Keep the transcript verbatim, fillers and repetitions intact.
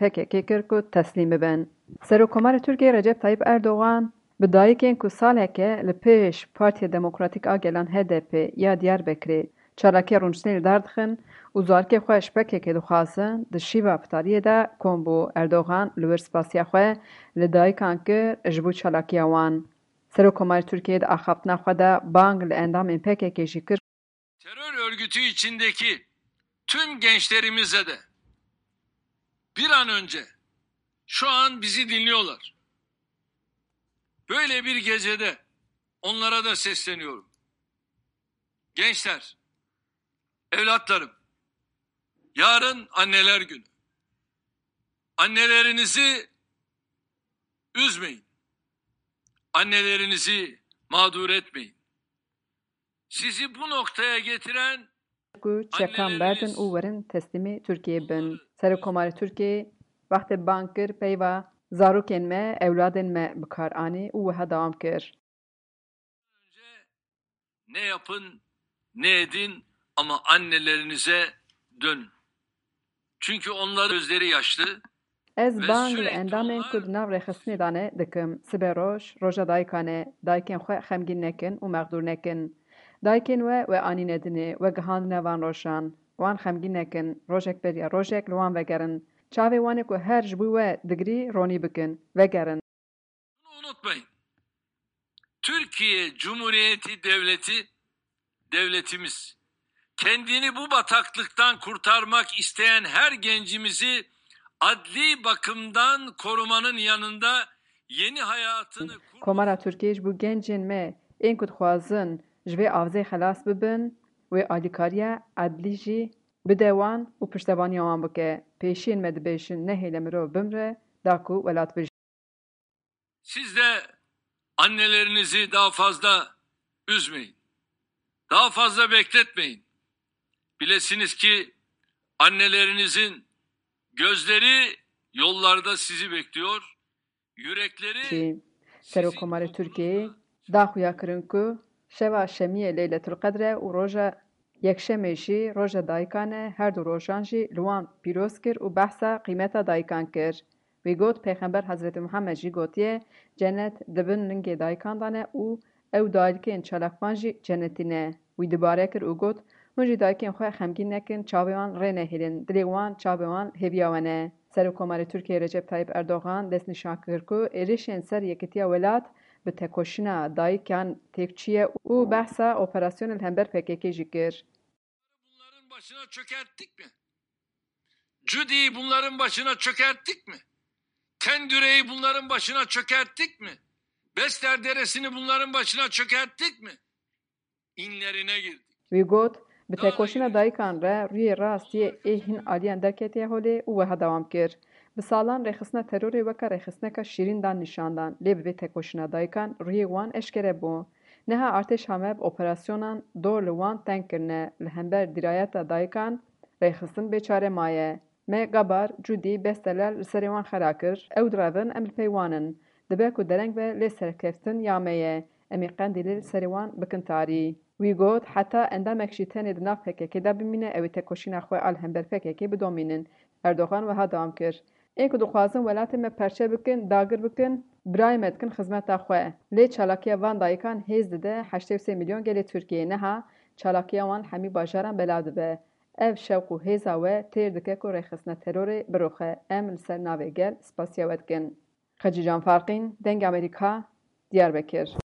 P K K kir ku teslîm bibin. Serokkomarê Tirkiyê Recep Tayyip Erdogan bi dayikên ku saleke li pêş Partiya Demokratîk a Gelan H D P ya Diyarbekirê çalakiya rûniştinê li dar dixin û zarokê xwe ji P K K dixwazin, di şîva fitariyê de kom bû. Erdogan li wir spasiya xwe li dayikan kir ji bo çalakiya wan. Serokkomarê Tirkiyê di axaftina xwe de bang li endamên P K K jî kir. Terör örgütü içindeki tüm gençlerimize de bir an önce, şu an bizi dinliyorlar. Böyle bir gecede onlara da sesleniyorum. Gençler, evlatlarım, yarın anneler günü. Annelerinizi üzmeyin. Annelerinizi mağdur etmeyin. Sizi bu noktaya getiren Ku çekan berdin û werin teslîmê Tirkiyê bin. Serokkomarê Tirkiyê wextê bang kir peyva zarokên me, ewladên me bi kar anî û wiha dewam kir. Önce ne yapın, ne edin ama annelerinize dönün. Çünkü onların gözleri yaşlı. Ez bang li endamên ku di nav rêxistinê de ne dikim. Sibe roj, roja dayikan e. Dayikên xwe xemgîn nekin û mexdûr nekin. Dayikên we we anîne dinê, we gihandine van rojan. Wan xemgîn nekin. Rojek beriya rojek li wan vegerin. Çavê wan ê ku her ji bo we digirî ronî bikin. Vegerin. Bunu unutmayın. Türkiye Cumhuriyeti Devleti, devletimiz kendini bu bataklıktan kurtarmak isteyen her gencimizi adli bakımdan korumanın yanında yeni hayatını kurmak Komara Tirkiyê ji bo gencên me ên ku dixwazin ji vê avzê xelas bibin, wê alîkariya edlî jî bide wan û piştevaniya wan bike. Pêşiyên me dibêjin, nehêle mirov bimre, da ku welat bijî. Siz de annelerinizi daha fazla üzmeyin. Daha fazla bekletmeyin. Bilesiniz ki annelerinizin gözleri yollarda sizi bekliyor. Yürekleri Jî Serokkomarê Tirkiyeyê da xuya kirin ku şeva şemiyê Leyletul Qedr e û roja yekşemê jî roja dayikan e, her du rojan jî li wan pîroz kir û behsa qîmeta dayikan kir. Wî got, Pêxember Hezretî Muhammed jî gotiye, Cenet di bin lingê dayikan de ne û ew dayikên çalakvan jî cenetî ne. Wî dubare kir û got, Hûn jî dayikên xwe xemgîn nekin, çavê wan rê nehêlin, dilê wan çavê wan hêviya we ne. Serokkomarê Tirkiyeyê Recep Tayyip Erdogan destnîşan kir ku êrişên ser yekitiya welat bi tekoşîna dayikan têk çûye û behsa operasyonê li hember P K K jî kir. Bunların başına çökerttik mi? Cudi'yi bunların başına çökerttik mi? Tendüre'yi bunların başına çökerttik mi? Besler Deresi'ni bunların başına çökerttik mi? İnlerine girdik. Wî got, Bi tekoşîna dayikan re rûyê rast yê ê hin aliyan derketiye holê û wiha dewam kir, Bi salan rêxistina terorê weke rêxistineka şîrîn dan nîşan dan, lê bi vê tekoşîna dayikan rûyê wan eşkere bû. Niha artêşa me bi operasyonan dor li wan teng kirine, li hember dîrayeta dayikan rêxistin bêçare maye. Me Gabar, Cûdî, Bestelel li serê wan xera kir. Ew direvin, em li pey wan in. Dibe ku dereng be lê serkeftin ya me ye. Em ê Qendîlê li serê wan bikin tarî. Wî got, Heta endamek jî tenê di nav P K K de bimîne, ew ê tekoşîna xwe a li hember P K K bidomînin. Erdogan wiha dewam kir, Ên ku dixwazin welatê me perçe bikin, dagir bikin, birayê me dikin xizmeta xwe. Lê çalakiya van dayikan hêz dide heştê û sê milyon gelê Tirkiyeyê. Niha çalakiya wan li hemî bajaran belav dibe. Ev şewq û hêza we têr dike ku rêxistina terorê biroxe. Em li ser navê gel spasiya we dikin. Xecîcan Farqîn, Dengê Amerîka, Diyarbekir.